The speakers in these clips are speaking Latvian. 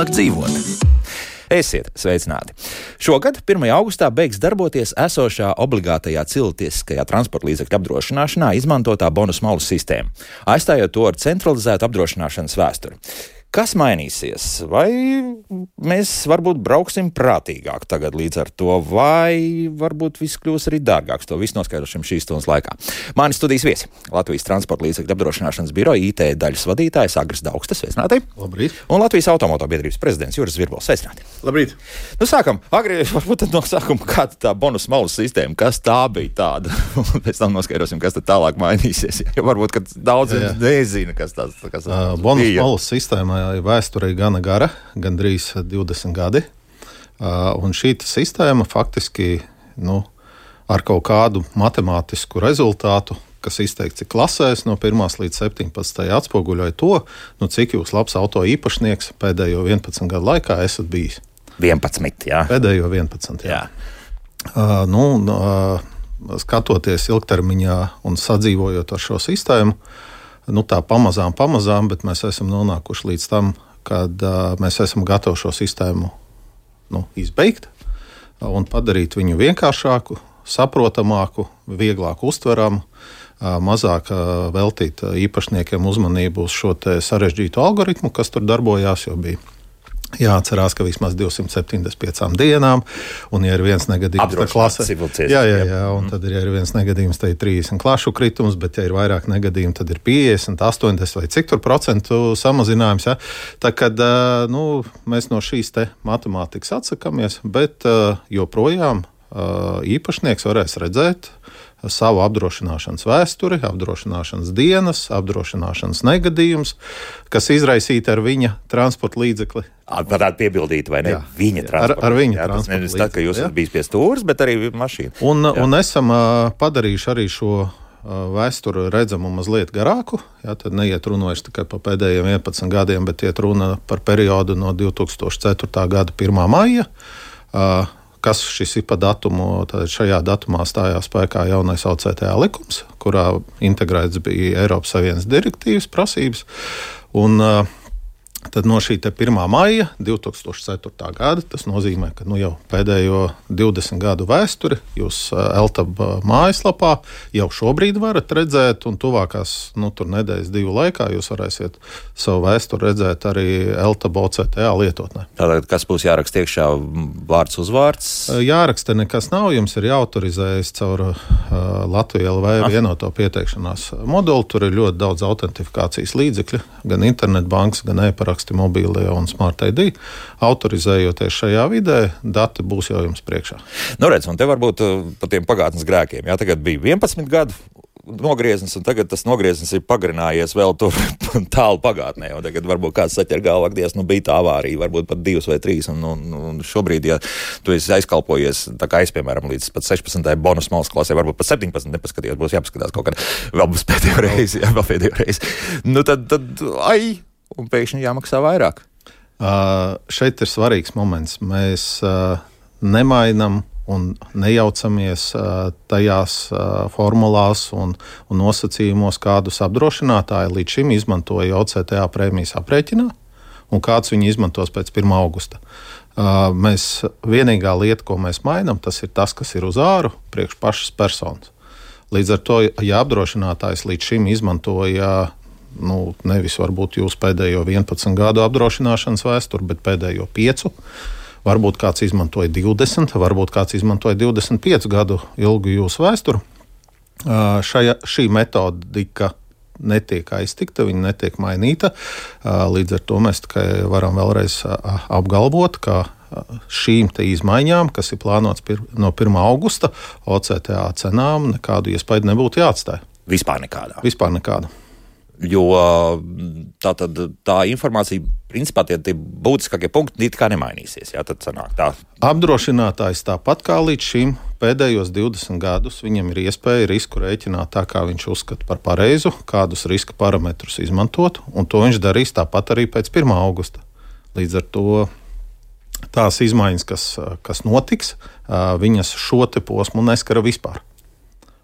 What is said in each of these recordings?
vieglāk dzīvot. Esiet sveicināti! Šogad, 1. augustā, beigs darboties esošā obligātajā cilvēciskajā transporta līdzekļu apdrošināšanā izmantotā bonus malas sistēma, aizstājot to ar centralizētu apdrošināšanas vēsturi. Kas mainīsies? Vai mēs varbūt brauksim prātīgāk tagad līdz ar to, vai varbūt viss kļūs arī dārgāks? To visu noskaidrosim šīs stundas laikā. Mani studijas viesi - Latvijas transporta līdzekļu apdrošināšanas biroja IT daļas vadītājs Agris Daugstas, sveicināti. Labrīt. Un Latvijas automotobiedrības prezidents Juris Virbols, sveicināti. Labrīt. Nu, sākam. Agri, varbūt tad no sākuma, kāda tā bonus malas sistēma, kas tā bija tāda? Un pēc tam noskaidrosim, kas tad tālāk mainīsies. Jo varbūt, ka daudz nezina, kas tas bonus malas sistēmā ir vēsturē gana gara, gandrīz 20 gadi. Un šī sistēma faktiski ar kaut kādu matemātisku rezultātu, kas izteikts klasēs no 1. līdz 17. atspoguļoja to, cik jūs labs auto īpašnieks pēdējo 11 gadu laikā esat bijis. 11, jā. Pēdējo 11, jā. Skatoties ilgtermiņā un sadzīvojot ar šo sistēmu, tā pamazām, bet mēs esam nonākuši līdz tam, kad mēs esam gatavi šo sistēmu izbeigt un padarīt viņu vienkāršāku, saprotamāku, vieglāk uztveramu, mazāk veltīt īpašniekiem uzmanību uz šo sarežģīto algoritmu, kas tur darbojās, jo bija jāatcerās, ka vismaz 275 dienām, un ja ir viens negadījums, tad klasē. Un tad ir viens negadījums, tad ir 30 klašu kritums, bet ja ir vairāk negadījumu, tad ir 50, 80 vai cik tur procentu samazinājums. Ja? Tā kad mēs no šīs matemātikas atsakamies, bet joprojām īpašnieks varēs redzēt savu apdrošināšanas vēsturi, apdrošināšanas dienas, apdrošināšanas negadījumus, kas izraisīti ar viņa transporta līdzekli. Varētu piebildīt, vai ne? Jā, viņa transporta. Ar viņa transporta līdzekli. Tā, ka jūs esat bijis pie stūres, bet arī mašīna. Un esam padarījuši arī šo vēsturi redzamu mazliet garāku. Jā, tad neiet runa vairs tikai par pēdējiem 11 gadiem, bet iet runa par periodu no 2004. gada 1. maija. Kas šis ir pa datumu, tad šajā datumā stājās spēkā jaunais OCTA likums, kurā integrēts bija Eiropas Savienības direktīvas prasības. Un tad no šī 1. maija 2004. gada, tas nozīmē, ka jau pēdējo 20 gadu vēsturi jūs LTAB mājaslapā jau šobrīd varat redzēt, un tuvākās tur nedēļas 2 laikā jūs varēsiet savu vēsturi redzēt arī LTAB OCTA lietotnē. Tātad, kas būs jāraksta iekšā, vārds, uzvārds? Jāraksta nekas nav, jums ir jāautorizējas caur Latviju LV vienoto pieteikšanās moduli. Tur ir ļoti daudz autentifikācijas līdzekļu, gan internetbankas, gan e-paraksti, mobīlie un Smart ID. Autorizējoties šajā vidē, dati būs jau jums priekšā. Redz, un te varbūt par tiem pagātnes grēkiem. Jā, tagad bija 11 gadu nogrieznis, un tagad tas nogrieznis ir pagarinājies vēl tur tālu pagātnē. Un tagad varbūt kāds saķer galvā, ka bija tā avārija, varbūt pat 2 vai 3. Un šobrīd, ja tu esi aizkalpojies, tā kā es, piemēram, līdz pat 16. bonus malas klasē, varbūt pat 17 nepaskatījos, būs jāpaskatās kaut kad vēl būs pēdējo reizi. Tad un pēkšņi jāmaksā vairāk. Šeit ir svarīgs moments. Mēs nemainam un nejaucamies tajās formulās un nosacījumos, kādus apdrošinātāji līdz šim izmantoja OCTA prēmijas aprēķinā un kāds viņi izmantos pēc 1. augusta. Mēs vienīgā lieta, ko mēs mainam, tas ir tas, kas ir uz āru priekš pašas personas. Līdz ar to, ja apdrošinātājs līdz šim izmantoja nevis varbūt jūs pēdējo 11 gadu apdrošināšanas vēsturi, bet pēdējo 5. Varbūt kāds izmantoja 20, varbūt kāds izmantoja 25 gadu ilgu jūsu vēsturi. Šī metodika netiek aiztikta, viņa netiek mainīta. Līdz ar to mēs tikai varam vēlreiz apgalvot, ka šīm izmaiņām, kas ir plānotas no 1. augusta, OCTA cenām nekādu iespaidu nebūtu jāatstāj. Vispār nekādā. Jo tā informācija, principā tie būtiskākie punkti it kā nemainīsies. Jā, tad sanāk tā. Apdrošinātājs tāpat kā līdz šim pēdējos 20 gadus viņam ir iespēja risku rēķināt tā, kā viņš uzskata par pareizu, kādus riska parametrus izmantot, un to viņš darīs tāpat arī pēc 1. augusta. Līdz ar to tās izmaiņas, kas notiks, viņas šo posmu neskara vispār.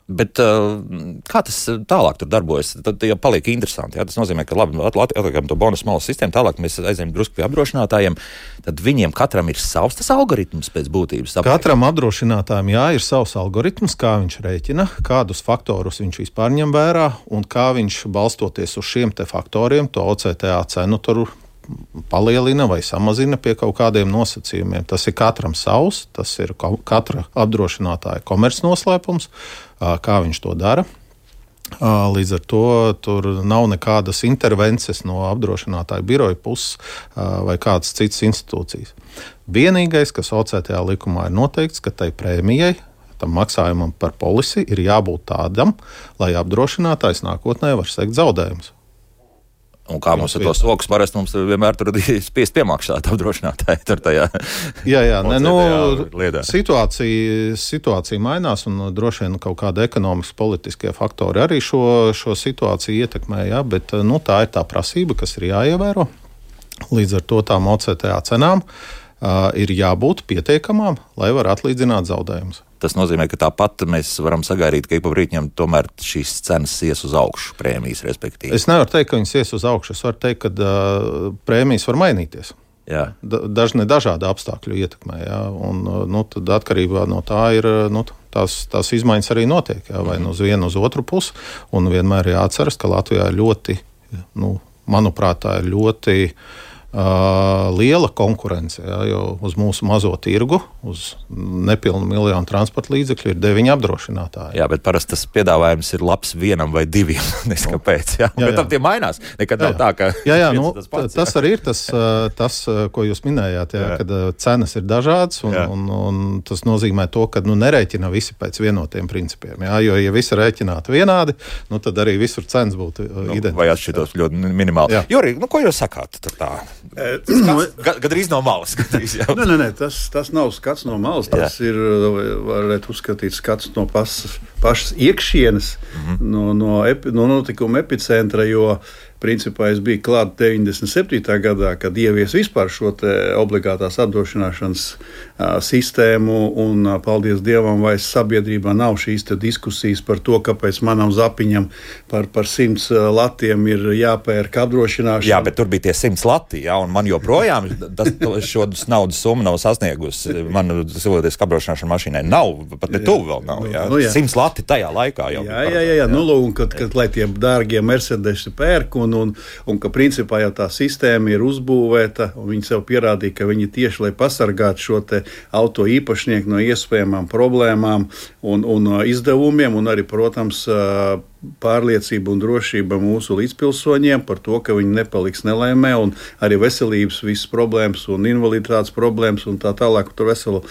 Bet kā tas tālāk tur darbojas? Tad jau paliek interesanti. Jā? Tas nozīmē, ka labi, atliekam to bonus malas sistēmu, tālāk mēs aizējam drusku pie apdrošinātājiem. Tad viņiem katram ir savs tas algoritms pēc būtības. Katram apdrošinātājam ir savs algoritms, kā viņš rēķina, kādus faktorus viņš vispār ņem vērā un kā viņš balstoties uz šiem te faktoriem to OCTA cenu tur palielina vai samazina pie kaut kādiem nosacījumiem. Tas ir katram savs, tas ir katra apdrošinātāja komercnoslēpums, kā viņš to dara. Līdz ar to tur nav nekādas intervences no apdrošinātāja biroja puses vai kādas citas institūcijas. Vienīgais, kas OCTA likumā ir noteikts, ka tai prēmijai, tam maksājumam par polisi ir jābūt tādam, lai apdrošinātājs nākotnē var sekt zaudējumus. Un kā mums ar to sokus parasti mums vienmēr tur spiest piemaksāt apdrošinātāji tur tajā. Situācija mainās un droši vien kaut kāda ekonomiski politiskie faktori arī šo situāciju ietekmē, bet tā ir tā prasība, kas ir jāievēro. Līdz ar to tām OCTA cenām ir jābūt pietiekamām, lai var atlīdzināt zaudējumus. Tas nozīmē, ka tāpat mēs varam sagaidīt, ka ik pa brīdim tomēr šīs cenas ies uz augšu, prēmijas respektīvi. Es nevaru teikt, ka viņas ies uz augšu. Es varu teikt, ka prēmijas var mainīties. Jā. Dažādi apstākļu ietekmē. Jā. Un, tad atkarībā no tā ir tās izmaiņas arī notiek. Jā. Vai uz vienu, uz otru pusi. Un vienmēr jāatceras, ka Latvijā ir ļoti, manuprāt, tā ir ļoti liela konkurence, jo uz mūsu mazo tirgu, uz nepilnu miljonu transporta līdzekļu ir 9 apdrošinātāji. Jā, bet parasti tas piedāvājums ir labs vienam vai diviem. Neskapēc, jā. Bet tam tie mainās. Nekad nav tā, ka tas pats. Tas arī ir tas, ko jūs minējāt, kad cenas ir dažādas un tas nozīmē to, ka nerēķina visi pēc vienotiem principiem. Jā, jo, ja visi rēķinātu vienādi, tad arī visur cenas būtu identiskas. Vai atšķirtos ļoti minimāli. Juri, ko jūs sakāt tur tā? Gadrīz no malas. Nē, tas nav skats no malas. Tas ir, varētu uzskatīt, skats no pašas iekšienes, no notikuma epicentra, jo principā es biju klāt 97. gadā, kad ievies vispār šo te obligātās apdrošināšanas sistēmu, un paldies Dievam, vai sabiedrībā nav šīs te diskusijas par to, kāpēc manam zapiņam par 100 latiem ir jāpērk apdrošināšana. Jā, bet tur bija tie 100 lati, un man joprojām šo naudas summu nav sasniegusi. Man cilvēciski apdrošināšana mašīnai nav, pat ne tuvu vēl nav. 100 lati tajā laikā jau. Jā. Un kad lai tie dārgie Mercedesi pērk, un ka principā jau tā sistēma ir uzbūvēta, un viņi sev pierādīja, ka viņi tieši, lai pasargātu šo te auto īpašnieku no iespējamām problēmām un izdevumiem, un arī, protams, pārliecība un drošība mūsu līdzpilsoņiem par to, ka viņi nepaliks nelaimē, un arī veselības visas problēmas un invaliditātes problēmas un tā tālāk, tur veselu,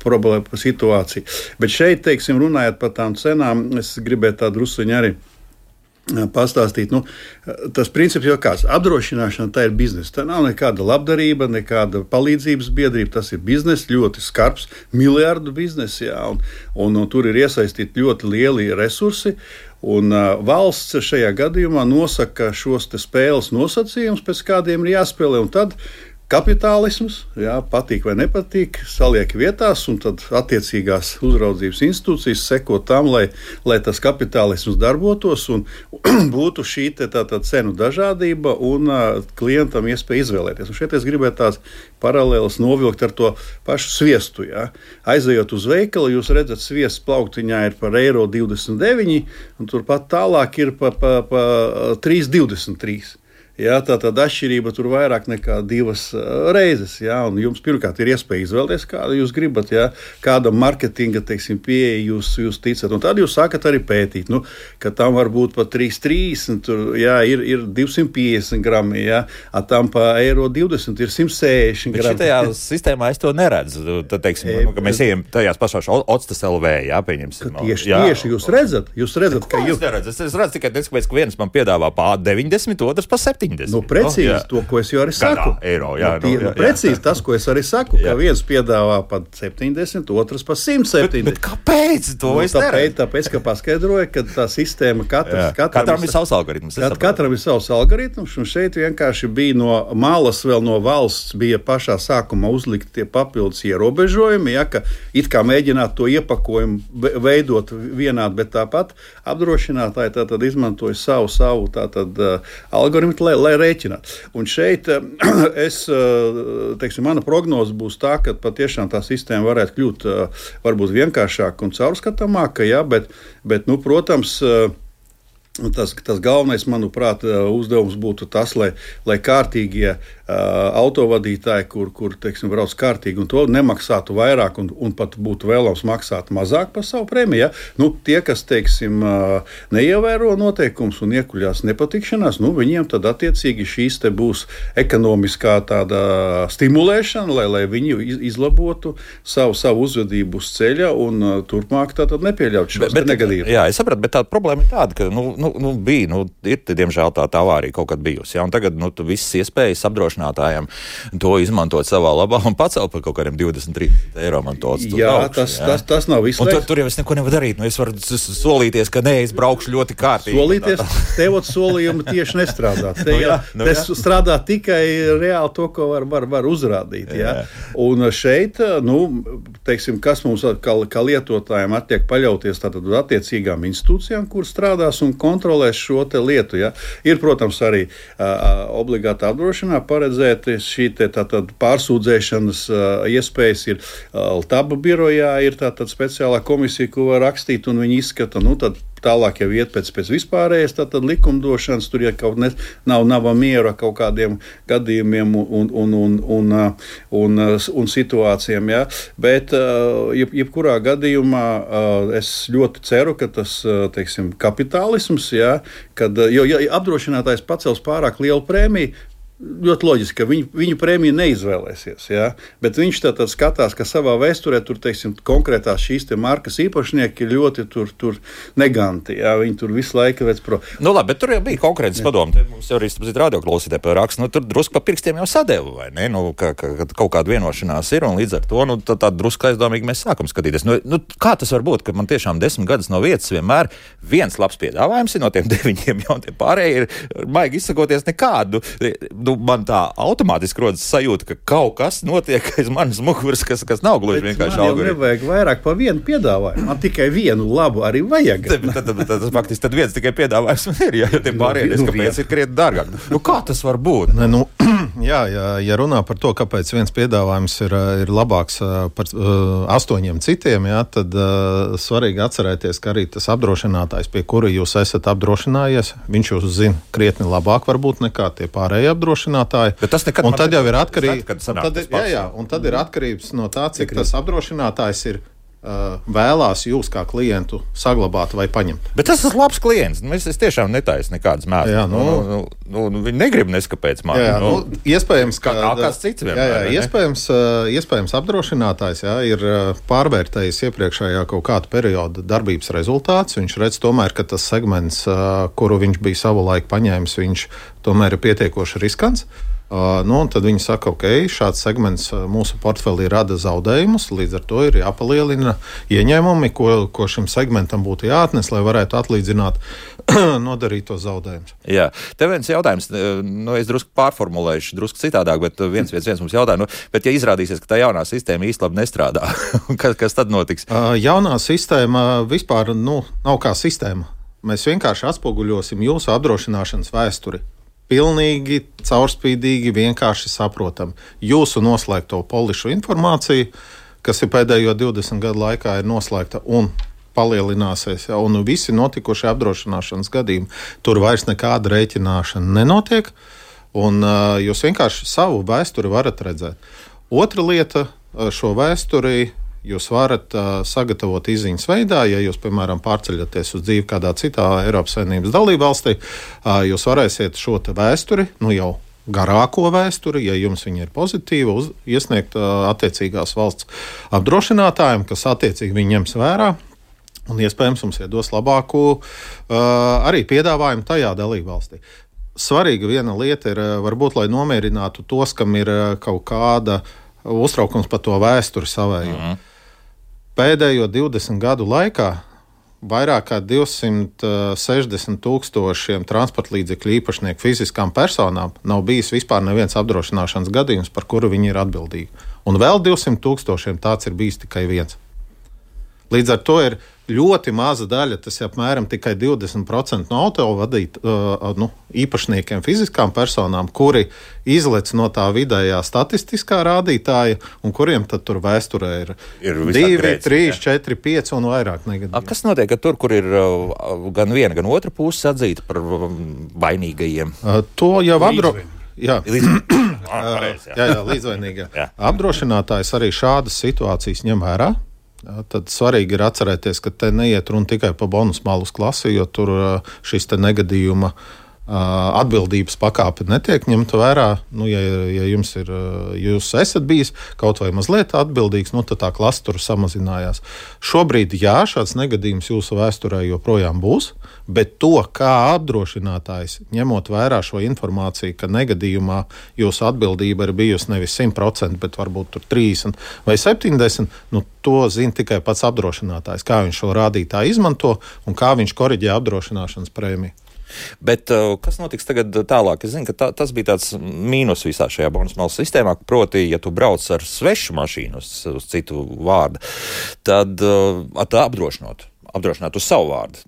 problēma situācija. Bet šeit, teiksim, runājot par tām cenām, es gribētu tā drusiņu arī pastāstīt. Tas princips jau kāds. Apdrošināšana tā ir biznesa. Tā nav nekāda labdarība, nekāda palīdzības biedrība. Tas ir biznesa, ļoti skarbs, miljardu biznesa. Un tur ir iesaistīti ļoti lieli resursi. Un valsts šajā gadījumā nosaka šos te spēles nosacījumus, pēc kādiem ir jāspēlē. Un tad kapitālisms, patīk vai nepatīk, saliek vietās, un tad attiecīgās uzraudzības institūcijas seko tam, lai tas kapitālisms darbotos un būtu šī cenu dažādība un klientam iespēja izvēlēties. Un šeit es gribētu tās paralēlas novilkt ar to pašu sviestu. Aizejot uz veikalu, jūs redzat, sviests plauktiņā ir par €1,29, un turpat tālāk ir pa 3,23. Tātad atšķirība tur vairāk nekā 2 reizes. Un jums pirmkārt ir iespēja izvēlēties, kādu jūs gribat, kāda marketinga pieeja jūs ticat. Un tad jūs sākat arī pētīt, ka tam var būt pat 3,30, tur ir 250 grammi, tam pa €1,20 ir 160 grammi. Bet šitajā sistēmā es to neredzu. Tad, teiksim, ka mēs ejam tajās pašās Otstas LV, pieņemsim. Tieši jūs redzat, ka es redzu tikai, ka viens man piedāvā pa 90, otrs pa 70. 70. Precīzi to, ko es jau arī saku. Eiro, precīzi tas, ko es arī saku, ka viens piedāvā pat 70, otrs pat 170. Bet kāpēc to es neredzu? Tāpēc, ka paskaidroja, ka tā sistēma katram ir savs algoritms. Katram ir savs algoritms, un šeit vienkārši bija no malas, vēl no valsts bija pašā sākumā uzlikt tie papildus ierobežojumi, ka it kā mēģināt to iepakojumu veidot vienādi, bet tāpat apdrošinātāji tātad izmantoja savu tātad algoritmu, lai rēķinātu. Un šeit mana prognoze būs tā, ka patiešām tā sistēma varētu kļūt varbūt vienkāršāka un caurskatāmāka, bet protams, tas galvenais, manuprāt, uzdevums būtu tas, lai kārtīgie autovadītāji, kur brauc kārtīgi un to nemaksātu vairāk un pat būtu vēlams maksāt mazāk par savu prēmiju. Tie, kas, neievēro noteikumus un iekuļās nepatikšanās, viņiem tad attiecīgi šīs te būs ekonomiskā tāda stimulēšana, lai viņi izlabotu savu uzvedību uz ceļa un turpmāk tātad nepieļaut šos negadījumus. Jā, es sapratu, bet tā problēma ir tāda, ka ir, diemžēl, tā avārija kaut kad bijusi. Ja? Un tagad visas iespējas apdrošinātājiem to izmantot savā labā un pacelt par kaut kādiem 20-30 eiro man to augšu. Tas nav viss. Un tur jau es neko nevaru darīt. Es varu solīties, ka es braukšu ļoti kārtīgi. Solīties, tevot solījumi tieši nestrādā. Strādā tikai reāli to, ko var uzrādīt. Ja? Un šeit, kas mums kā lietotājiem attiek paļauties tātad uz attiecīgām institūcijām, kur strādās un kontrolēs šo te lietu. Ja? Ir, protams, arī obligāta apdrošinā paredzēti šī tātad pārsūdzēšanas iespējas. Ir LTABA birojā, ir tātad speciālā komisija, ko var rakstīt, un viņi izskata, tad tālāk jau iet pēc vispārējais likumdošanas, tur ja kaut nav miera kaut kādiem gadījumiem un situācijām. Ja? Bet jebkurā gadījumā es ļoti ceru, ka tas, kapitālisms, ja, jo apdrošinātājs pacels pārāk lielu prēmiju, ļoti loģiski, ka viņu prēmiju neizvēlēsies, ja? Bet viņš tātad skatās, ka savā vēsturē tur, konkrētās šīs te markas īpašnieki ir ļoti tur neganti, ja? Viņi tur visu laiku veic labi, bet tur jau bija konkrētas padomu. Mums jau arī radioklausītāji par rakstu, tur drusku pa pirkstiem jau sadeva, vai ne? Ka kaut kāda vienošanās ir, un līdz ar to, tā drusku aizdomīgi mēs sākam skatīties. Kā tas var būt, ka man tiešām 10 gadus no vietas vienmēr viens labs piedāvājums ir no tiem 9, jau tie pārējie ir, maigi izsakoties, nekādu. Man tā automātiski rodas sajūta, ka kaut kas notiek aiz manas muguras, kas nav gluži vienkārši algoritms. Man nevajag vairāk par vienu piedāvājumu. Man tikai vienu labu arī vajag. Tas faktiski tad viens tikai piedāvājums ir, ja tie pārējie, kāpēc ir krietni dārgāk. Kā tas var būt? Ja runā par to, kāpēc viens piedāvājums ir labāks par 8 citiem, ja, tad svarīgi atcerēties, ka arī tas apdrošinātājs, pie kura jūs esat apdrošinājies, viņš jūs zina krietni labāk varbūt nekā tie pārējie apdrošinātāji. Un tad jau ir atkarīgs. Un tad ir atkarības no tā, cik tas apdrošinātājs ir vēlās jūs kā klientu saglabāt vai paņemt. Bet tas ir labs klients. Es tiešām netaisu nekādas mētas. Viņi negrib neskapēc man. Iespējams, ka kāds cits vienmēr. Iespējams apdrošinātājs ir pārvērtējis iepriekšējā kaut kādu periodu darbības rezultāts. Viņš redz tomēr, ka tas segments, kuru viņš bija savulaik paņēmis, viņš tomēr ir pietiekoši riskants. Un tad viņi saka, ok, šāds segments mūsu portfelī rada zaudējumus, līdz ar to ir jāpalielina ieņēmumi, ko šim segmentam būtu jāatnes, lai varētu atlīdzināt nodarītos zaudējumus. Jā, te viens jautājums, es drusku pārformulēšu, drusku citādāk, bet viens mums jautā, bet ja izrādīsies, ka tā jaunā sistēma īsti labi nestrādā, kas tad notiks? Jaunā sistēma vispār nav kā sistēma. Mēs vienkārši atspoguļosim jūsu apdrošināšanas vēsturi. Pilnīgi, caurspīdīgi, vienkārši saprotam. Jūsu noslēgto polišu informāciju, kas ir pēdējo 20 gadu laikā ir noslēgta un palielināsies, un visi notikušie apdrošināšanas gadījumi, tur vairs nekāda rēķināšana nenotiek, un jūs vienkārši savu vēsturi varat redzēt. Otra lieta, šo vēsturi jūs varat sagatavot izziņas veidā, ja jūs, piemēram, pārceļaties uz dzīvi kādā citā Eiropas Savienības dalībvalstī, jūs varēsiet šo te vēsturi, jau garāko vēsturi, ja jums viņa ir pozitīva, iesniegt attiecīgās valsts apdrošinātājiem, kas attiecīgi viņi ņems vērā, un iespējams mums iedos labāku arī piedāvājumu tajā dalībvalstī. svarīga viena lieta ir, varbūt, lai nomierinātu tos, kam ir kaut kāda uztraukums par to vēsturi savējo. Pēdējo 20 gadu laikā vairāk kā 260 000 transporta līdzekļu īpašnieku fiziskām personām nav bijis vispār neviens apdrošināšanas gadījums, par kuru viņi ir atbildīgi. Un vēl 200 000 tāds ir bijis tikai viens. Līdz ar to ir ļoti maza daļa, tas ir apmēram tikai 20% no īpašniekiem, fiziskām personām, kuri izlec no tā vidējā statistiskā rādītāja, un kuriem tad tur vēsturē ir 2, 3, 4, 5 un vairāk negadījumi. Kas notiek tur, kur ir gan viena, gan otra puse atzīta par vainīgajiem? To jau līdzvainīgie. Apdrošinātājs arī šādas situācijas ņem vērā. Tad svarīgi ir atcerēties, ka te neiet runa tikai par bonus malus klasi, jo tur šis te negadījuma atbildības pakāpe netiek ņemta vērā. Ja jūs esat bijis kaut vai mazliet atbildīgs, tad tā klase tur samazinājās. Šobrīd, šāds negadījums jūsu vēsturē joprojām būs, bet to, kā apdrošinātājs, ņemot vērā šo informāciju, ka negadījumā jūsu atbildība ir bijusi nevis 100%, bet varbūt tur 30 vai 70%, to zina tikai pats apdrošinātājs, kā viņš šo rādītāju izmanto un kā viņš koriģē apdrošināšanas prēmiju. Bet kas notiks tagad tālāk? Es zinu, ka tas bija tāds mīnus visā šajā bonus malas sistēmā, proti, ja tu brauc ar svešu mašīnu uz citu vārdu, tad apdrošināt uz savu vārdu.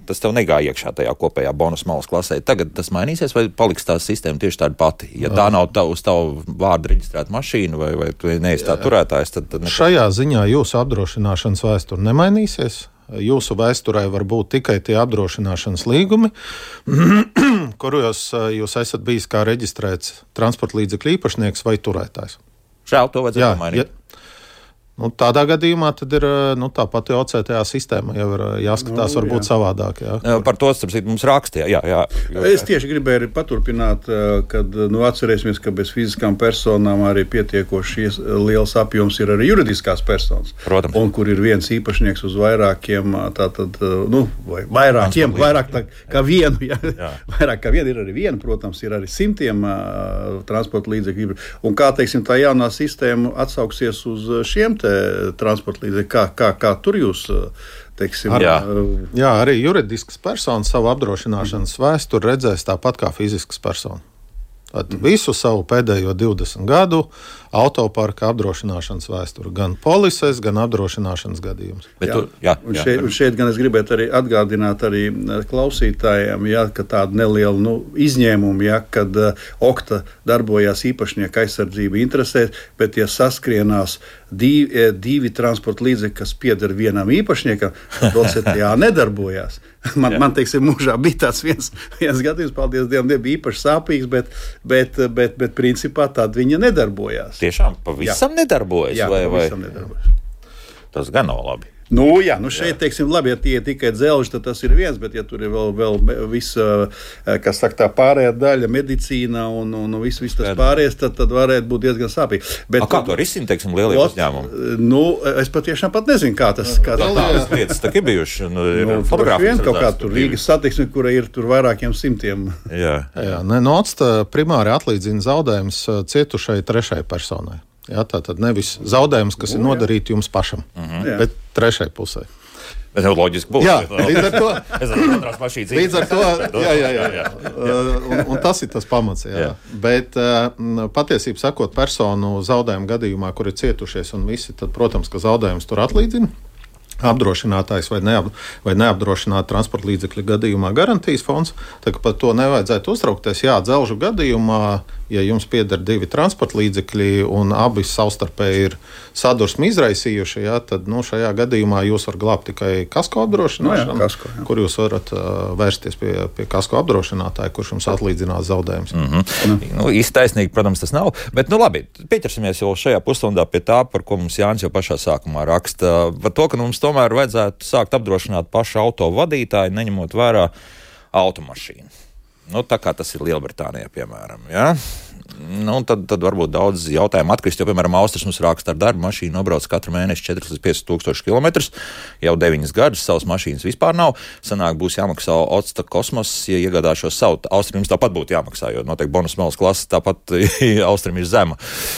Tas tev negāja iekšā tajā kopējā bonus malas klasē. Tagad tas mainīsies vai paliks tā sistēma tieši tāda pati? Ja tā nav uz tavu vārdu reģistrēta mašīna vai tu neesi tā turētājs, tad šajā ziņā jūsu apdrošināšanas vēsture nemainīsies. Jūsu vēsturē var būt tikai tie apdrošināšanas līgumi, kuros jūs esat bijis kā reģistrēts transporta līdzekļu īpašnieks vai turētājs. Žēl, to vajadzētu mainīt. Tādā gadījumā tad ir tā pati OCTA sistēma jau ir jāskatās varbūt savādāk. Jā. Par to mums rakstīja. Jā. Es tieši gribēju paturpināt, kad atcerēsimies, ka bez fiziskām personām arī pietiekoši liels apjoms ir arī juridiskās personas. Protams. Un kur ir viens īpašnieks uz vairākiem, vairāk kā vienu. Jā. Vairāk kā vienu ir arī viena, protams, ir arī simtiem transporta līdzekļu. Un kā, teiksim, tā jaunā sistēma atsauksies uz šiem transporta līdzekļi, kā tur jūs, teiksim... Jā, arī juridiskas personas savu apdrošināšanas vēsturi redzēs tāpat kā fiziskas personas. Visu savu pēdējo 20 gadu autoparka apdrošināšanas vēsturi, gan polises, gan apdrošināšanas gadījumus. Un šeit gan es gribētu arī atgādināt arī klausītājiem, ka tāda neliela izņēmuma, kad OKTA darbojās īpašnieka aizsardzība interesēs, bet ja saskrienās divi transporta līdzekļi, kas pieder vienam īpašniekam, tad OCTA nedarbojās. Man teiksim, mūžā bija tāds viens gadījums, paldies Dievam, nebija īpaši sāpīgs, bet principā tad viņa nedarbojās. Tiešām pavisam nedarbojas? Pavisam nedarbojas. Tas gan nav labi. Šeit, teiksim, labi, ja tie ir tikai dzelži, tad tas ir viens, bet ja tur ir vēl visa, kas saka, tā pārējā daļa, medicīna un viss tas pārējais, tad varētu būt diezgan sāpīgi. Kā to risina, teiksim, lielie uzņēmumi? Es patiešām pat nezinu, kā tas. Tādas lietas tā ir bijuši. Fotogrāfijas kaut kā tur Rīgas satiksme, kura ir tur vairākiem simtiem. OCTA primāri atlīdzina zaudējumus cietušai trešai personai. Tātad nevis zaudējums, kas ir nodarīti jums pašam, bet trešai pusē. Bet loģiski būs. Līdz ar to. Līdz ar to. Un tas ir tas pamats. Bet patiesībā sakot, personu zaudējumu gadījumā, kur ir cietušies un visi, tad, protams, ka zaudējums tur atlīdzina. Apdrošinātājs vai neapdrošināta transporta līdzekļa gadījumā garantijas fonds. Tā kā par to nevajadzētu uztraukties. Dzelžu gadījumā, ja jums pieder divi transporta līdzekļi un abi savstarpēji ir sadursmi izraisījuši, tad šajā gadījumā jūs varat glābt tikai kasko apdrošināšanu, kur jūs varat vērsties pie kasko apdrošinātāja, kurš jums atlīdzinās zaudējumus. Īsti taisnīgi, protams, tas nav. Bet, labi, pieķersimies jau šajā pusstundā pie tā, par ko mums Jānis jau pašā sākumā raksta. Par to, ka mums tomēr vajadzētu sākt apdrošināt pašu auto vadītāju, neņemot vērā automašīnu. Nu, tā kā tas ir Lielbritānijā, piemēram, ja? Nu, tad varbūt daudz jautājumu atkrist, jo, piemēram, Austris mums raksta ar darbu mašīnu, nobrauc katru mēnesi 4 līdz 5 tūkstoši kilometrus, jau 9 gadus, savas mašīnas vispār nav. Sanāk, būs jāmaksā Otsta Kosmos, ja iegādāšos savu. Austrim jums tāpat būtu jāmaksā, jo noteikti bonus malas klasa tāpat Austrim ir zema.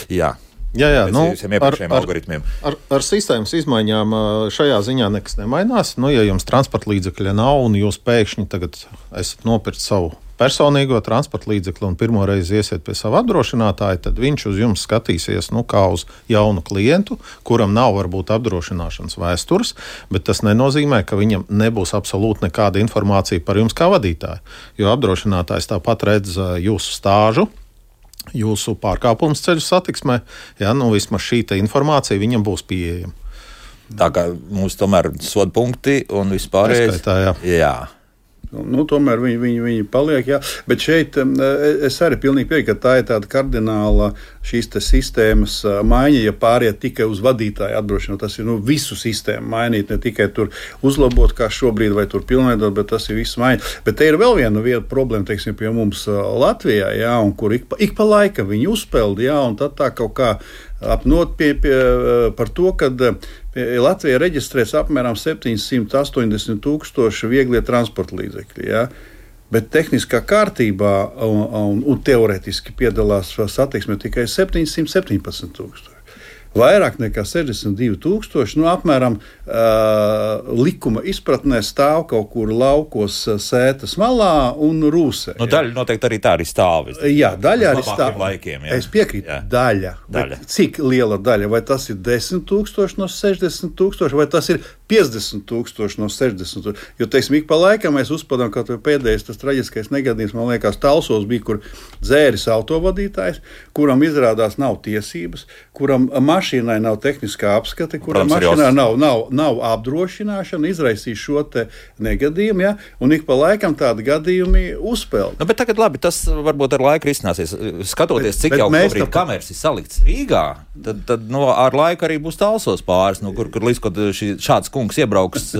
Jā. Jā, nu, ar sistēmas izmaiņām šajā ziņā nekas nemainās. Nu, ja jums transporta līdzekļa nav un jūs pēkšņi tagad esat nopirkt savu personīgo transporta līdzekli un pirmo reizi iesiet pie sava apdrošinātāja, tad viņš uz jums skatīsies kā uz jaunu klientu, kuram nav varbūt apdrošināšanas vēstures, bet tas nenozīmē, ka viņam nebūs absolūti nekāda informācija par jums kā vadītāju, jo apdrošinātājs tāpat redz jūsu stāžu, jūsu pārkāpums ceļu satiksmē, nu vismaz šī informācija viņam būs pieejama. Tā kā mums tomēr soda punkti un vispārējais. Jā. Nu, tomēr viņi paliek, jā. Bet šeit es arī pilnīgi piekrītu, ka tā ir tāda kardināla šīs sistēmas maiņa, ja pāriet tikai uz vadītāju apdrošināšanu. Tas ir visu sistēmu mainīt, ne tikai tur uzlabot, kā šobrīd, vai tur pilnveidot, bet tas ir viss maiņa. Bet te ir vēl viena problēma, teiksim, pie mums Latvijā, jā, un kur ik pa laikam viņi uzpeld, jā, un tad tā kaut kā apnot par to, ka Latvijā reģistrēts apmēram 780 tūkstoši vieglie transporta līdzekļi. Ja? Bet tehniskā kārtībā un teorētiski piedalās satiksmē tikai 717 tūkstoši. Vairāk nekā 62 tūkstoši, apmēram likuma izpratnē stāv kaut kur laukos Sētas malā un Rūsē. Daļa noteikti arī tā arī stāv. Jā, daļa arī stāv. Laikiem, jā. Es piekrītu, jā. Daļa. Cik liela daļa? Vai tas ir 10 tūkstoši no 60 tūkstoši, vai tas ir 50 tūkstoši no 60 tūkstoši? Jo, teiksim, ik pa laikam mēs uzpadām, ka pēdējais tas traģiskais negadījums, man liekas, Talsos bija, kur dzēris autovadītājs, kuram izrādās nav tiesības, kuram mašīnai nav tehniskā apskate, kuram mašīnā nav apdrošināšana, izraisīs šo te negadījumu, ja? Un ik pa laikam tādi gadījumi uzpeld. Bet tagad labi, tas varbūt ar laiku risināsies. Skatoties, cik jau šobrīd kameras ir salikts Rīgā, tad ar laiku arī būs Talsos pāris, kur līdz, kad šāds kungs iebrauks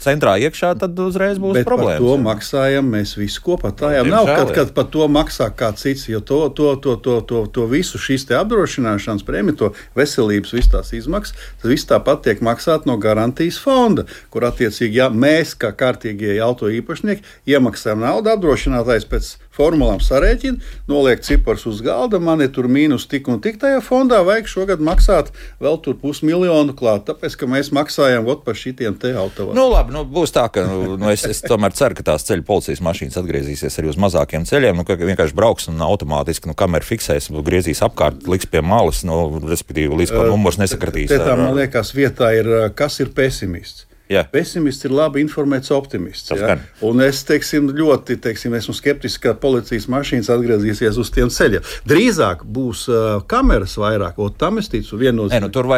centrā iekšā, tad uzreiz būs problēmas. Bet par to maksājam mēs visi kopā. Tā jau nav, kad par to maksā kāds cits, jo to visu šīs te apdrošināšanas prēmiju, to veselības visas tās izmaksas, tas viss tāpat tiek maksāt no garantijas fonda, kur attiecīgi, ja mēs kā kārtīgie auto īpašnieki iemaksājam naudu, apdrošinātājs pēc formulām sarēķina, noliek cipars uz galda, man ir tur mīnus tik un tik tajā fondā, vajag šogad maksāt vēl tur 500 000 klāt, tāpēc, ka mēs maksājam par šitiem te autovādiem. Labi, būs tā, ka es tomēr ceru, ka tās ceļu policijas mašīnas atgriezīsies arī uz mazākiem ceļiem, ka vienkārši brauks un automātiski kamera fiksēs, griezīs apkārt, liks pie malas, respektīvi līdz kā numurs nesakratīs. Tā man liekas vietā ir, kas ir pesimists. Jā. Pesimists ir labi informēts optimists. Ja? Un es esmu skeptisks, ka policijas mašīnas atgriezīsies uz tiem ceļiem. Drīzāk būs kameras vairāk, tam es ticu viennozīmīgi. Tur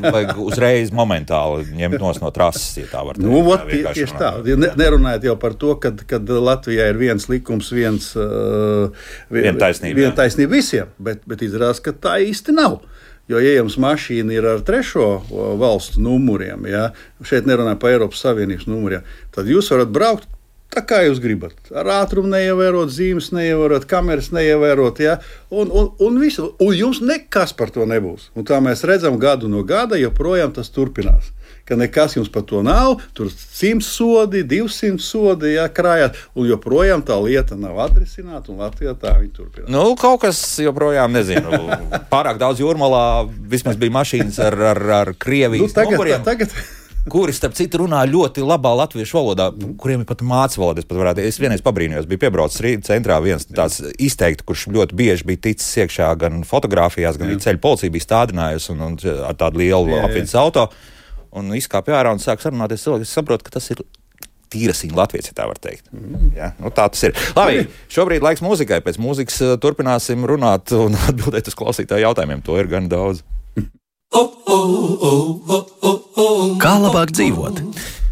vajag uzreiz momentāli ņemt no trases, ja tā var teikt. Tieši tā. Nerunājot jau par to, kad Latvijā ir viens likums, viena taisnība visiem, bet izrādās, ka tā īsti nav. Jo, ja jums mašīna ir ar trešo valstu numuriem, ja, šeit nerunāju par Eiropas Savienības numuriem, tad jūs varat braukt tā, kā jūs gribat. Ar ātrumu neievērot, zīmes neievērot, kameras neievērot, ja, un visu. Un jums nekas par to nebūs. Un tā mēs redzam gadu no gada, joprojām tas turpinās. Ka nekas jums par to nav, tur 100 sodi, 200 sodi, ja, krājāt, un joprojām tā lieta nav atrisināta, un Latvijā tā viņa turpinās. Kaut kas joprojām, nezinu, pārāk daudz jūrmalā, vismaz bija mašīnas ar Krievijas numuriem. Kuri, starp citu, runā ļoti labā latviešu valodā, kuriem ir pat mācību valoda. Es vienreiz pabrīnījos, biju piebraucis Rīgas centrā viens tāds izteikti, kurš ļoti bieži bija ticis iekšā gan fotografijās, gan ceļu policija bija stādinājusi un ar tādu lielu apvidus auto. Un izkāpja ārā un sāk sarunāties cilvēki. Es saprotu, ka tas ir tīrasiņa latviec, ja tā var teikt. Ja? Tā tas ir. Labi, šobrīd laiks mūzikai. Pēc mūzikas turpināsim runāt un atbildēt uz klausītāju jautājumiem. To ir gan daudz. Kā labāk dzīvot?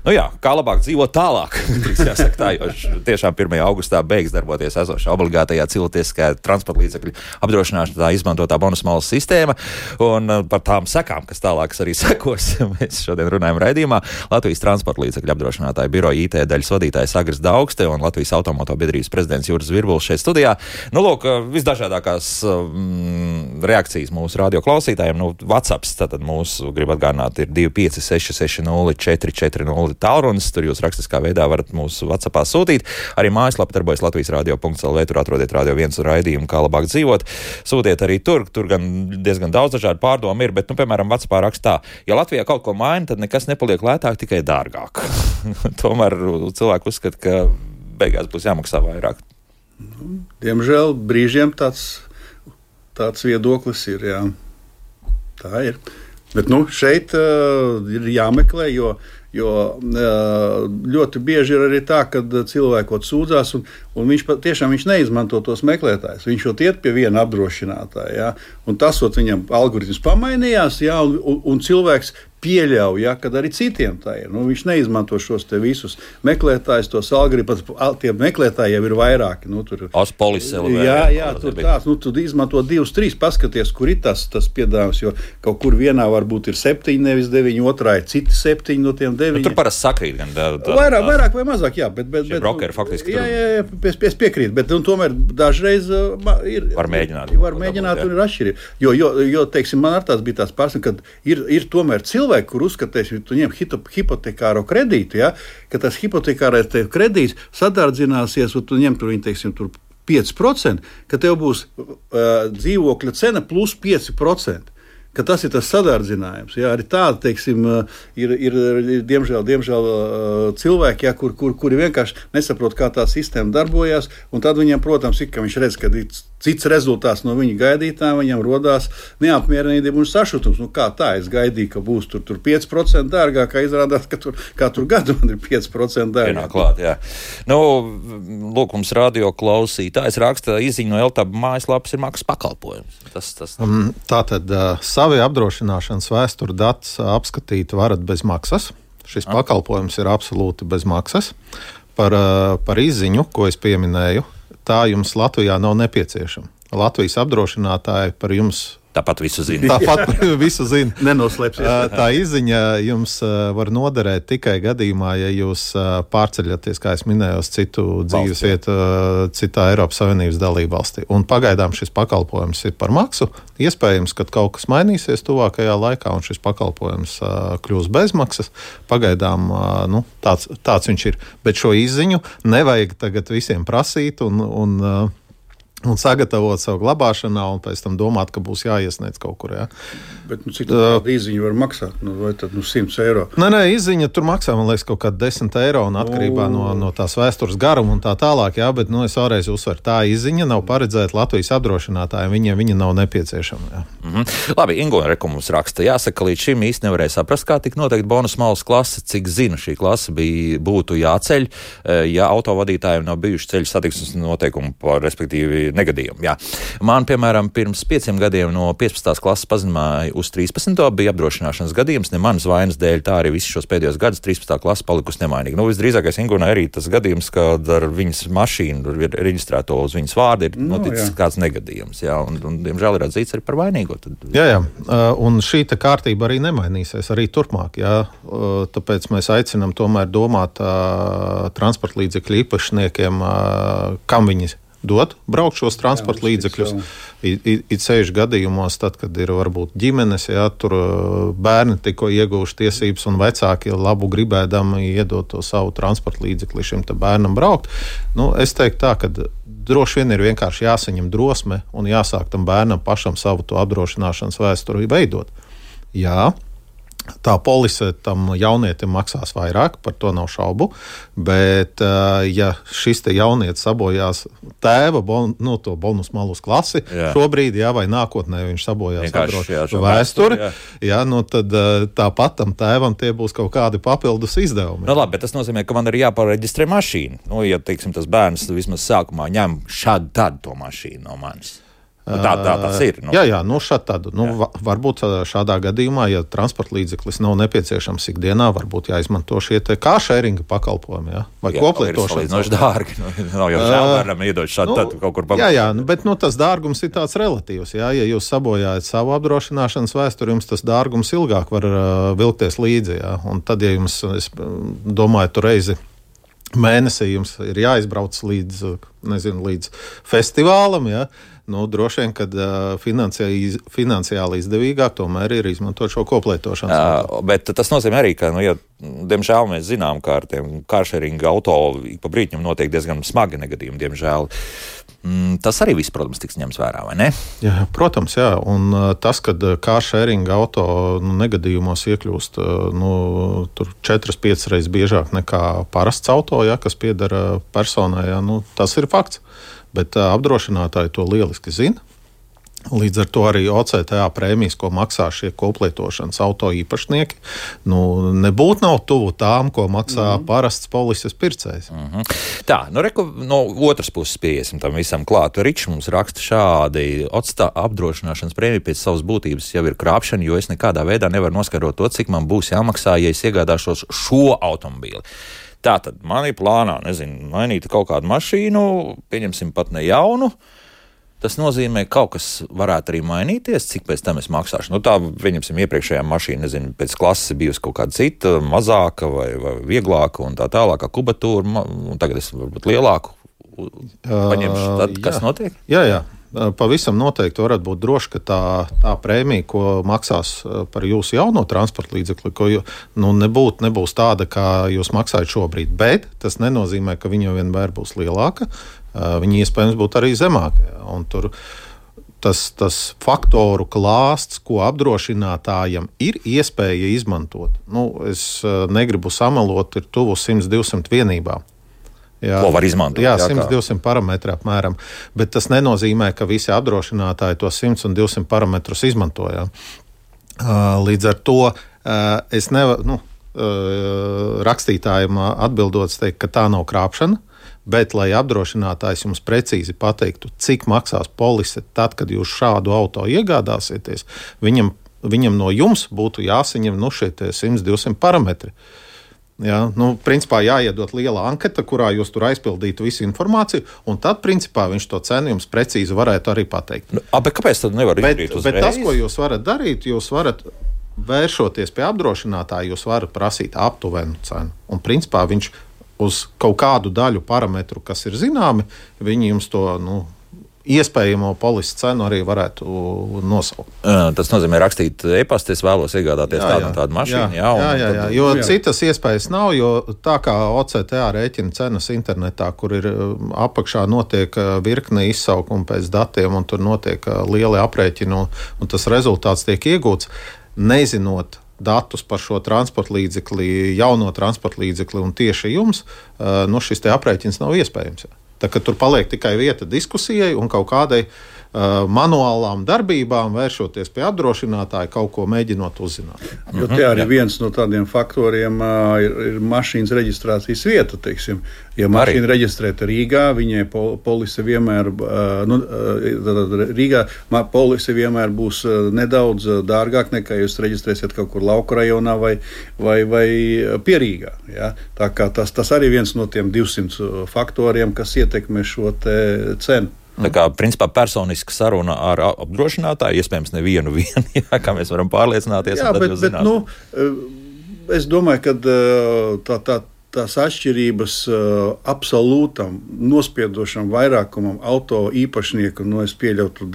Nu jā, kā labāk dzīvot tālāk, jāsaka tā, jo tiešām 1. augustā beigs darboties esošā obligātajā cilvēciskajā transporta līdzekļu apdrošināšanā izmantotā bonusmalas sistēma, un par tām sekām, kas tālākas arī sekos, mēs šodien runājam raidījumā. Latvijas transporta līdzekļu apdrošinātāja biroja IT daļas vadītājs Agris Daugste un Latvijas automoto biedrības prezidents Juris Virbuls šeit studijā. Nu, lūk, visdažādākās reakcijas mūsu radio klausītājiem. Nu, WhatsApps, tātad mūsu, grib atgādināt, ir 256604440 tālrunis, tur jūs rakstiskā veidā varat mūsu WhatsAppā sūtīt. Arī mājaslapa darbojas latvijasradio.lv, tur atrodiet Radio 1 raidījumu, kā labāk dzīvot. Sūtiet arī tur gan diezgan daudz dažādu pārdomu ir, bet, nu, piemēram, WhatsAppā rakstā, ja Latvijā kaut ko maina, tad nekas nepaliek lētāk, tikai dārgāk. Tomēr cilvēki uzskata, ka beigās būs jāmaksā vairāk. Diemžēl brīžiem tāds viedoklis ir, jā. Tā ir. Bet, nu, šeit ir jāmeklē, jo ļoti bieži ir arī tā, ka cilvēki sūdzās, un viņš neizmanto tos meklētājus. Viņš iet pie viena apdrošinātāja, ja, un tas viņam algoritms pamainījās, ja, un cilvēks pieļauj, ja, kad arī citiem tā ir. Nu, viņš neizmanto šos te visus meklētājus, tos algoritmus, tie meklētāji jau ir vairāki. Nu, tur tur tāds, nu, tu izmanto 2, 3, paskaties, kur ir tas piedāvājums, jo kaut kur vienā varbūt ir 7, nevis 9, otrā ir citi 7 no tiem 9. Nu, tur parasti sakrīt gan vairāk vai mazāk, jā, bet brokeri faktiski tur. Jā, es piekrītu, bet tomēr dažreiz var mēģināt un ir atšķirība. Jo, teiksim, man ar tāds bija tāds pārstāvs, kad ir tomēr cilvēki, kur uzskatīs, ja tu ņem hipotekāro kredītu, ja, ka tas hipotekārais kredīts sadārdzināsies, un tu ņem tur, teiksim, tur 5%, ka tev būs dzīvokļa cena plus 5%. Ka tas ir tas sadārdzinājums. Jā, arī tādi, teiksim, ir diemžēl cilvēki, jā, kuri vienkārši nesaprot, kā tā sistēma darbojas, un tad viņam, protams, ka viņš redz, ka cits rezultāts no viņa gaidītām, viņam rodās neapmierinātība un sašutums. Nu, kā tā? Es gaidīju, ka būs tur 5% dārgāk, kā izrādās, ka katru gadu man ir 5% dārgāk. Vienā klāt, jā. Nu, lūk, mums radio klausītājs raksta izziņu no LTAB mājaslapas ir maksas pakalpojums. Tātad savi apdrošināšanas vēsturu datus apskatīt varat bez maksas. Šis pakalpojums ir absolūti bez maksas. Par izziņu, ko es pieminēju, tā jums Latvijā nav nepieciešama. Latvijas apdrošinātāji par jums tāpat visu zina. Nenoslēpsies. Tā izziņa jums var noderēt tikai gadījumā, ja jūs pārceļaties, kā es minēju, uz citu dzīves vietu, citā Eiropas Savienības dalību valstī. Un pagaidām šis pakalpojums ir par maksu. Iespējams, ka kaut kas mainīsies tuvākajā laikā, un šis pakalpojums kļūs bezmaksas. Pagaidām tāds viņš ir. Bet šo izziņu nevajag tagad visiem prasīt un sagatavot savu glabāšanā, un pēc tam domāt, ka būs jāiesniedz kaut kur. Jā. Bet cik tāda izziņa var maksāt? Vai tad 100 eiro? Nē, izziņa tur maksā, man liekas, kaut kādi 10 eiro, un atkarībā no tās vēstures garuma un tā tālāk. Jā, bet es vēlreiz uzsveru, tā izziņa nav paredzēta Latvijas apdrošinātājiem, viņa nav nepieciešama. Jā. Labi, Ingo mums raksta, jāsaka, līdz šim īsti nevarēja saprast, kā tik noteikti bonusmalas klase, cik zinu, šī klase būtu jāceļ, ja autovadītājiem nav bijuši ceļu satiksmes noteikumi, respektīvi negadījumi. Jā. Man, piemēram, pirms 5 gadiem no 15. klases pazinājumā uz 13. bija apdrošināšanas gadījums, ne manas vainas dēļ, tā arī visus šos pēdējos gadus 13. klase palikusi nemainīga. Nu, visdrīzākais Ingūnai arī tas gadījums, kad ar viņas mašīnu reģistrēto uz viņas vārdu ir noticis kāds negadījums. Jā, un diemžēl ir atzīts arī par vainīgo. Jā, un šī kārtība arī nemainīsies arī turpmāk. Jā. Tāpēc mēs aicinām tomēr domāt transporta līdzekļu īpašniekiem, kam viņi dot braukt šos transporta līdzekļus. It sevišķi gadījumos, tad, kad ir varbūt ģimenes, jā, tur bērni tikko ieguvuši tiesības un vecāki labu gribēdami iedot to savu transporta līdzekli šim te bērnam braukt. Nu, es teiktu tā, ka droši vien ir vienkārši jāsaņem drosme un jāsāk tam bērnam pašam savu to apdrošināšanas vēsturi veidot. Jā. Tā polise tam jaunietim maksās vairāk, par to nav šaubu, bet ja šis te jaunietis sabojās tēva to bonusmalus klasi, šobrīd, vai nākotnē viņš sabojās vēsturi, tad tāpat tam tēvam tie būs kaut kādi papildus izdevumi. Nu, labi, bet tas nozīmē, ka man ir jāpareģistrē mašīna. Nu, ja, teiksim, tas bērns vismaz sākumā ņem šādu tādu to mašīnu no manis. Tā tas ir. Jā, šādi. Varbūt šādā gadījumā, ja transporta līdzeklis nav nepieciešams ikdienā, varbūt jāizmanto šie carsharinga pakalpojumi, vai koplietošanas. Tas ir dārgi. Nav jau žēl bērnam iedot šādu tad kaut kur pakalpojumu. Jā, bet tas dārgums ir tāds relatīvs. Ja jūs sabojājat savu apdrošināšanas vēsturi, jums tas dārgums ilgāk var vilkties līdzi. Ja? Un tad, ja jums, es domāju, tu reizi mēnesī jums ir jāizbrauc līdz festivālam, ja? Droši vien, kad finansiāli izdevīgāk tomēr ir izmantot šo koplietošanas. Bet tas nozīmē arī, ka, diemžēl mēs zinām, ka ar tiem carsharinga auto pa brīķim notiek diezgan smagi negadījumi, diemžēl. Tas arī viss, protams, tiks ņemts vērā, vai ne? Jā, protams, jā. Un tas, kad carsharinga auto negadījumos iekļūst tur 4-5 reizes biežāk nekā parasts auto, kas piedara personai, tas ir fakts. Bet apdrošinātāji to lieliski zina. Līdz ar to arī OCTA prēmijas, ko maksā šie koplietošanas auto īpašnieki, nebūtu nav tuvu tām, ko maksā parasts polises pircējs. Tā, no otras puses pieiesim tam visam klāt. Ričs mums raksta šādi: OCTA apdrošināšanas prēmija pēc savas būtības jau ir krāpšana, jo es nekādā veidā nevaru noskaidrot to, cik man būs jāmaksā, ja es iegādāšos šo automobīli. Tātad man ir plānā, mainīt kaut kādu mašīnu, pieņemsim pat ne jaunu. Tas nozīmē, ka kaut kas varētu arī mainīties, cik pēc tam es maksāšu. Tā, pieņemsim, iepriekšējā mašīna, pēc klases bijusi kaut kāda cita, mazāka vai vieglāka un tā tālākā kubatūra, un tagad es varbūt lielāku paņemšu. Tad kas notiek? Jā. Pavisam noteikti varat būt droši, ka tā prēmija, ko maksās par jūsu jauno transporta līdzekli, nebūs tāda, kā jūs maksājat šobrīd. Bet tas nenozīmē, ka viņa vienmēr būs lielāka. Viņa iespējams būtu arī zemāka. Un tur tas faktoru klāsts, ko apdrošinātājam ir iespēja izmantot. Es negribu samelot, ir tuvu 100-200 vienībām. Ko var izmantot? Jā, 100-200 parametri apmēram, bet tas nenozīmē, ka visi apdrošinātāji to 100 un 200 parametrus izmantojā. Līdz ar to es nevaru rakstītājiem atbildot teikt, ka tā nav krāpšana, bet lai apdrošinātājs jums precīzi pateiktu, cik maksās polise tad, kad jūs šādu auto iegādāsieties, viņam no jums būtu jāsaņem šie 100-200 parametri. Jā, principā jāiedot liela anketa, kurā jūs tur aizpildītu visu informāciju, un tad, principā, viņš to cenu jums precīzi varētu arī pateikt. Bet kāpēc tad nevar izdarīt uzreiz? Bet tas, ko jūs varat darīt, jūs varat vēršoties pie apdrošinātāja, jūs varat prasīt aptuvenu cenu. Un, principā, viņš uz kaut kādu daļu parametru, kas ir zināmi, viņi jums to, iespējamo polises cenu arī varētu nosaukt. Tas nozīmē rakstīt e-pastu, es vēlos iegādāties tādu mašīnu. Jā, jo citas iespējas nav, jo tā kā OCTA rēķina cenas internetā, kur ir apakšā notiek virkne izsaukumu pēc datiem, un tur notiek lieli aprēķini, un tas rezultāts tiek iegūts, nezinot datus par šo transporta līdzekli, jauno transporta līdzekli un tieši jums, šis te aprēķins nav iespējams. Tā, ka tur paliek tikai vieta diskusijai un kaut kādai manuālām darbībām, vēršoties pie apdrošinātāja, kaut ko mēģinot uzzināt. Jo te arī viens no tādiem faktoriem ir mašīnas reģistrācijas vieta, teiksim. Ja mašīna reģistrēta Rīgā, viņai polise vienmēr, Rīgā polise vienmēr būs nedaudz dārgāk nekā jūs reģistrēsiet kaut kur lauku rajonā vai pie Rīgā. Ja? Tā kā tas arī viens no tiem 200 faktoriem, kas ietekmē šo te cenu. Tā kā, principā, personiska saruna ar apdrošinātāju, iespējams, nevienu, kā mēs varam pārliecināties. Jā, bet es domāju, ka tās atšķirības absolūtam nospiedošam vairākumam auto īpašnieku, es pieļautu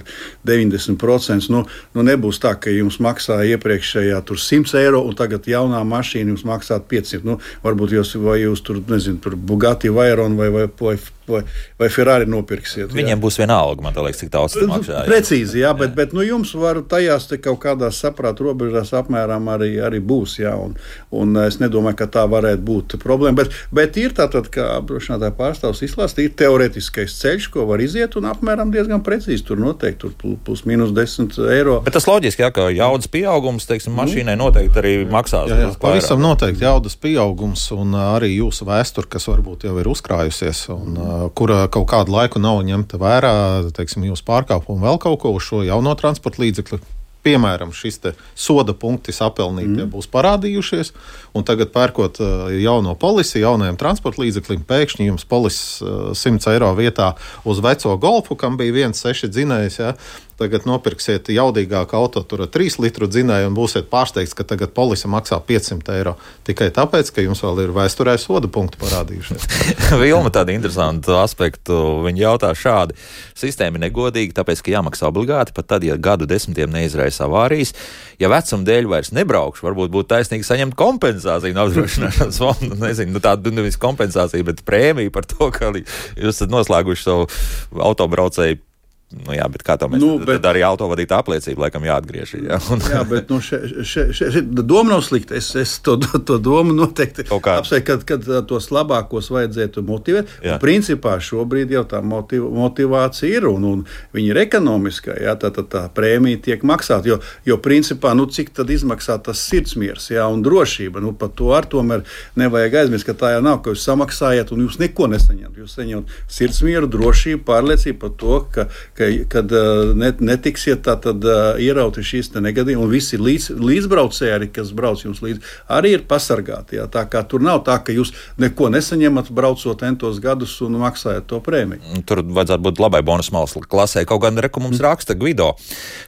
90%, nebūs tā, ka jums maksā iepriekšējā tur 100 eiro un tagad jaunā mašīna jums maksā 500. Varbūt jūs tur Bugatti Veyron vai Ferrari nopirksiet. Viņiem būs vienalga, man liekas, cik daudz tas maksā. Precīzi, jā, bet jums var tajās te kaut kādās saprāta robežās apmēram arī būs, jā, un es nedomāju, ka tā varētu būt problēma, bet ir tātad, kā apdrošinātāja pārstāvs izklāstīja, ir teoretiskais ceļš, ko var iziet, un apmēram diezgan precīzi tur noteikti, tur plus mīnus 10 eiro. Bet tas loģiski, jā, ka jaudas pieaugums, teiksim, mašīnai noteikti arī maksās. Jā, pavisam noteikti jaudas pieaugums, un arī jūsu vēsture, kas varbūt jau ir uzkrājusies, un kura kaut kādu laiku nav ņemta vērā, teiksim, jūsu pārkāpumu vēl kaut ko uz šo jauno transporta līdzekli. Piemēram, šis soda punkti sapelnītie būs parādījušies, un tagad pērkot jauno polisi jaunajam transporta līdzeklim, pēkšņi jums polisis 100 eiro vietā uz veco Golfu, kam bija 1,6 dzinējs, ja, tagad nopirksiet jaudīgāku auto, tur 3 litru dzinēju un būsiet pārsteigts, ka tagad polisa maksā 500 eiro. Tikai tāpēc, ka jums vēl ir vēsturē soda punkti parādījušies. Vilma tādu interesantu aspektu, viņa jautā šādi. Sistēma ir negodīga, tāpēc, ka jāmaksā obligāti, pat tad, ja gadu desmitiem neizraisa avārijas. Ja vecuma dēļ vairs nebraukšu, varbūt būtu taisnīgi saņemt kompensāciju no apdrošināšanas fonda. Nezinu, tādu nevis kompensāciju, bet prēmiju par to, ka jūs esat noslēguši savu autobraucēju. Nu jā, bet kā to mēs tad arī autovadītā apliecība laikam jāatgriež. Jā, jā bet šeit doma nav slikta. Es to domu noteikti apsveicu, kad tos labākos vajadzētu motivēt. Principā šobrīd jau tā motivācija ir un viņa ir ekonomiskā. Jā, tā prēmija tiek maksāta, jo principā, cik tad izmaksā tas sirdsmiers, jā, un drošība. Par to ar tomēr nevajag aizmirst, ka tā jau nav, ka jūs samaksājat un jūs neko nesaņemat. Jūs saņemat sirdsmieru, drošību, pārliecību par to, kad netiksiet tātad ierauti šīs te negadījumi, un visi līdzbraucēji arī, kas brauc jums līdzi, arī ir pasargāti. Jā. Tā kā tur nav tā, ka jūs neko nesaņemat, braucot entos gadus un maksājat to prēmiju. Tur vajadzētu būt labai bonus malas klasē. Kaut gan mums raksta Gvido.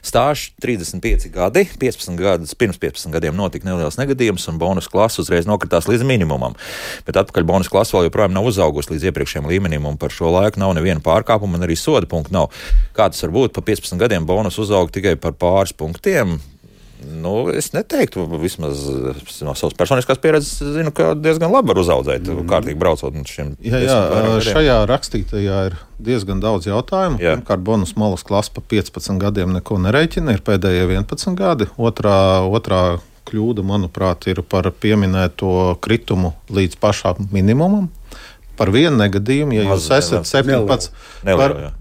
Stāžs 35 gadi, 15 gadus, pirms 15 gadiem notika neliels negadījums, un bonus klasa uzreiz nokritās līdz minimumam. Bet atpakaļ bonus klasa vēl joprojām nav uzaugusi līdz iepriekšējiem līmenim, un par šo laiku nav neviena pārkāpuma, un arī soda punktu nav. Kā tas var būt, pa 15 gadiem bonus uzauga tikai par pāris punktiem? Es neteiktu, vismaz no savas personiskās pieredzes zinu, ka diezgan labi var uzaudzēt, kārtīgi braucot. Šajā rakstītajā ir diezgan daudz jautājumu. Pirmkārt, bonus malas klasa pa 15 gadiem neko nereiķina, ir pēdējie 11 gadi. Otrā kļūda, manuprāt, ir par pieminēto kritumu līdz pašām minimumam. Par vienu negadījumu, ja jūs esat 17,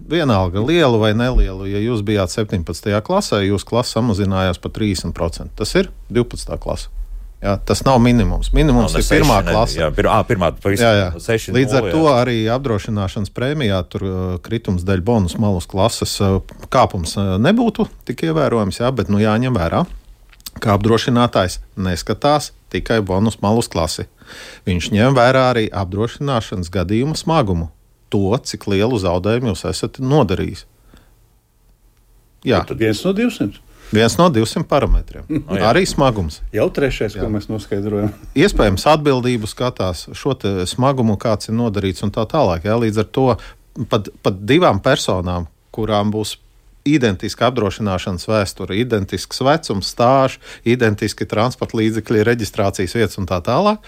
vienalga lielu vai nelielu, ja jūs bijāt 17. klasē, jūs klasa samazinājās par 30%. Tas ir 12. klasa. Jā, tas nav minimums. Minimums ir pirmā klase. Pirmā, pavisam 6. Līdz ar to arī apdrošināšanas prēmijā tur kritums dēļ bonus malas klases kāpums nebūtu tik ievērojams, bet jāņem vērā, ka apdrošinātājs neskatās tikai bonus malus klasi. Viņš ņem vērā arī apdrošināšanas gadījuma smagumu. To, cik lielu zaudējumu jūs esat nodarījis. Jā. Tad 1 no 200. 1 no 200 parametriem. Arī smagums. Jau trešais, ko mēs noskaidrojam. Iespējams, atbildību skatās šo smagumu, kāds ir nodarīts un tā tālāk. Jā. Līdz ar to pat divām personām, kurām būs identiska apdrošināšanas vēsture, identisks vecums, stāžs, identiski transporta līdzekļi, reģistrācijas vietas un tā tālāk.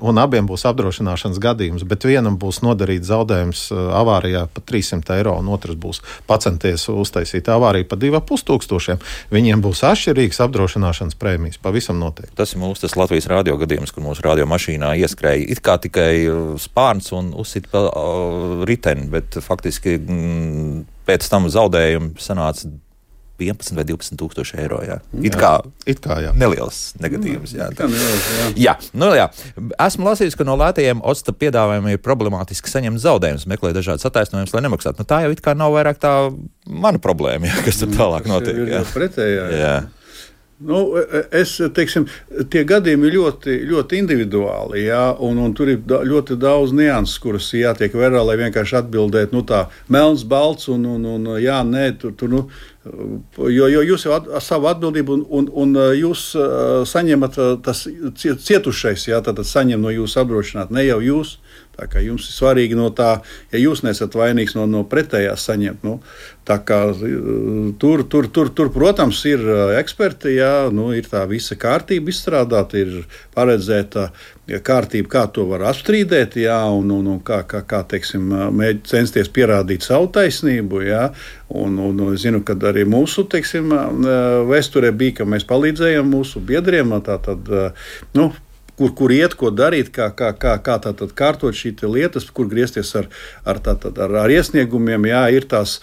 Un abiem būs apdrošināšanas gadījums, bet vienam būs nodarīts zaudējums avārijā par 300 eiro, un otrs būs pacenties uztaisīt avāriju par 2500. Viņiem būs atšķirīgas apdrošināšanas prēmijas, pavisam noteikti. Tas ir mūsu Latvijas radio gadījums, kur mūsu radio mašīnā ieskrēja it kā tikai spārns un uzsit pa riteni, bet faktiski pēc tam zaudējumi sanāca 11 vai 12 tūkstoši eiro. Jā. It kā jā. Neliels negadījums. Jā. Esmu lasījis, ka no lētajiem OCTA piedāvājumiem ir problemātiski saņemt zaudējumus, meklē dažādas attaisnojumus, lai nemaksātu. Tā jau it kā nav vairāk tā mana problēma, kas tur tālāk notiek. Jā. Pretējā. Jā. Tie gadījumi ir ļoti, ļoti individuāli, jā, un tur ir ļoti daudz nianses, kuras jātiek vērā, lai vienkārši atbildētu, tā melns, balts, un jā, nē, jo jūs jau savu atbildību, un jūs saņemat tas cietušais, jā, tad saņem no jūsu apdrošināt, ne jau jūs. Tā kā jums ir svarīgi no tā, ja jūs nesat vainīgs no pretējās saņemt. Tā kā tur, protams, ir eksperti, jā, ir tā visa kārtība izstrādāta, ir paredzēta kārtība, kā to var apstrīdēt, jā, un kā teiksim, censties pierādīt savu taisnību, jā, un es zinu, ka arī mūsu, teiksim, vēsturē bija, ka mēs palīdzējam mūsu biedriem, kur iet, ko darīt, kā tātad kārtot šī lietas, kur griezties ar iesniegumiem, jā, ir tās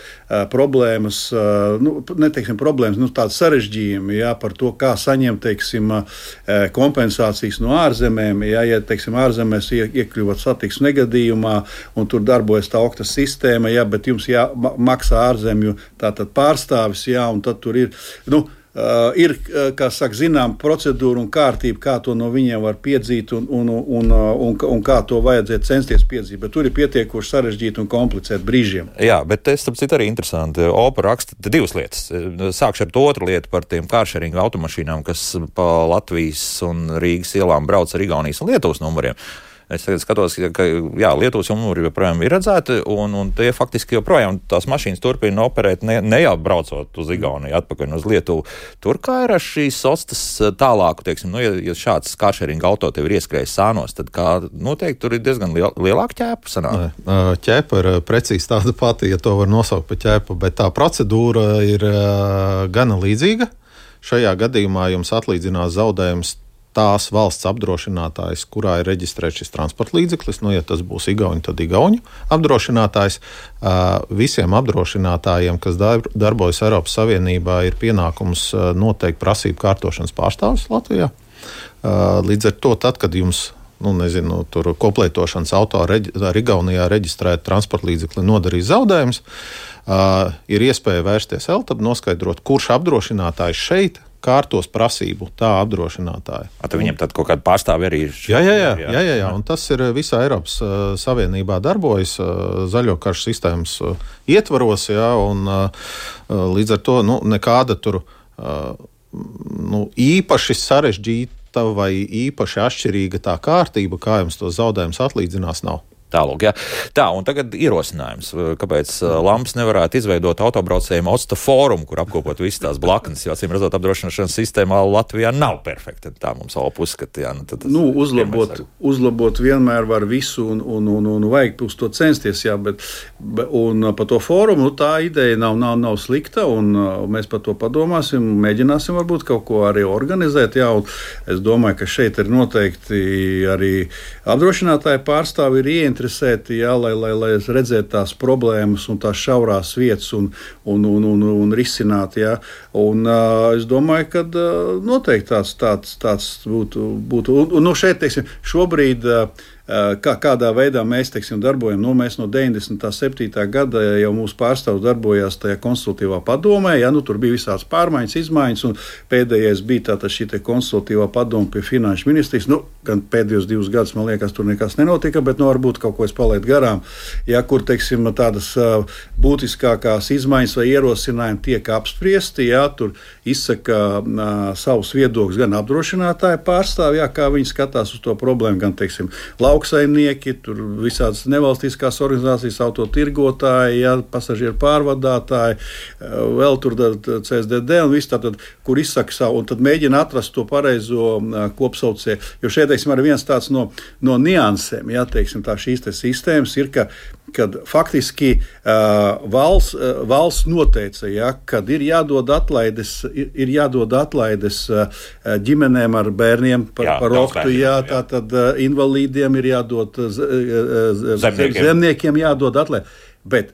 problēmas, neteiksim problēmas, tādas sarežģījumi, jā, par to, kā saņemt, teiksim, kompensācijas no ārzemēm, jā, ja, teiksim, ārzemēs iekļuvat satiksmes negadījumā, un tur darbojas tā okta sistēma, jā, bet jums jāmaksā ārzemju tātad pārstāvis, jā, un tad tur ir, ir, kā saka, zinām procedūra un kārtība, kā to no viņiem var piedzīt un kā to vajadzētu censties piedzīt, bet tur ir pietiekoši sarežģīti un komplicēti brīžiem. Jā, bet tas, starp citu, arī interesanti. OPA raksta divas lietas. Sākšu ar to otru lietu par tiem kāršeringa automašīnām, kas pa Latvijas un Rīgas ielām brauc ar Igaunijas un Lietuvas numuriem. Es tagad skatos, ka Lietuvas numuri joprojām ir redzēti, un tie faktiski joprojām tās mašīnas turpina operēt, ne jau braucot uz Igauniju, atpakaļ uz Lietuvu. Tur kā ir ar šīs ostas tālāku, teiksim, ja šāds kāršeringa auto tev ir ieskrējis sānos, tad kā noteikti tur ir diezgan lielāka ķēpa sanāk? Ķēpa ir precīzi tāda pati, ja to var nosaukt par ķēpu, bet tā procedūra ir gana līdzīga. Šajā gadījumā jums atlīdzinās zaudējums tās valsts apdrošinātājs, kurā ir reģistrēts šis transporta līdzeklis, ja tas būs Igauņu, tad Igauņu apdrošinātājs. Visiem apdrošinātājiem, kas darbojas Eiropas Savienībā, ir pienākums noteikt prasību kārtošanas pārstāvis Latvijā. Līdz ar to, tad, kad jums tur koplietošanas auto ar Igaunijā reģistrēt transporta līdzekli nodarīs zaudējumus, ir iespēja vērsties ELTAB, noskaidrot, kurš apdrošinātājs šeit kārtos prasību tā apdrošinātāja. Tad viņiem tad kaut kāda pārstāve arī ir? Jā, un tas ir visā Eiropas Savienībā darbojas zaļo karšu sistēmas ietvaros, jā, un līdz ar to nekāda tur īpaši sarežģīta vai īpaši atšķirīga tā kārtība, kā jums to zaudējums atlīdzinās, nav. Tālūk, jā. Tā, un tagad ierosinājums, kāpēc Lamps nevarētu izveidot autobraucējiem OSTA fórumu, kur apkopot visas tās blaknes, jo acīm redzot apdrošināšanas sistēmā Latvijā nav perfekta. Tā mums OPA uzskata, jā. Uzlabot vienmēr var visu un vajag uz to censties, jā, bet un par to fórumu, tā ideja nav slikta, un mēs par to padomāsim, mēģināsim varbūt kaut ko arī organizēt, jā, un es domāju, ka šeit ir noteikti arī apdrošinātāji pārstāvi ir ieinteresēti, jā, lai redzētu tās problēmas un tās šaurās vietas un risināt, jā. Un es domāju, ka noteikti tāds būtu. Un šeit, teiksim, šobrīd kādā veidā mēs, teiksim, darbojam. Mēs no 97. gada jau mūsu pārstāvs darbojās tajā konsultatīvā padomē. Jā, tur bija visādas pārmaiņas, izmaiņas, un pēdējais bija tātad šī konsultatīvā padome pie Finanšu ministrijas. Gan pēdējos 2 gadus, man liekas, tur nekas nenotika, bet varbūt kaut ko es palaidu garām. Jā, kur, teiksim, tādas būtiskākās izmaiņas vai ierosinājumi tiek apspriesti, jā, tur izsaka savus viedokļus gan apdrošinātāji pārstāvji, jā, kā viņi skatās uz to problēmu, gan, teiksim, lauksaimnieki, tur visādas nevalstiskās organizācijas, autotirgotāji, jā, pasažieru pārvadātāji, vēl tur CSDD un viss tātad, kur izsaka savu, un tad mēģina atrast to pareizo kopsaucēju. Jo šeit, teiksim, arī viens tāds no niansēm, jā, teiksim, tā šīs sistēmas ir, kad faktiski valsts noteica, ja, kad ir jādod atlaides ģimenēm ar bērniem par oktu, ja, tātad invalīdiem ir jādod, zemniekiem jādod atlaidi. Bet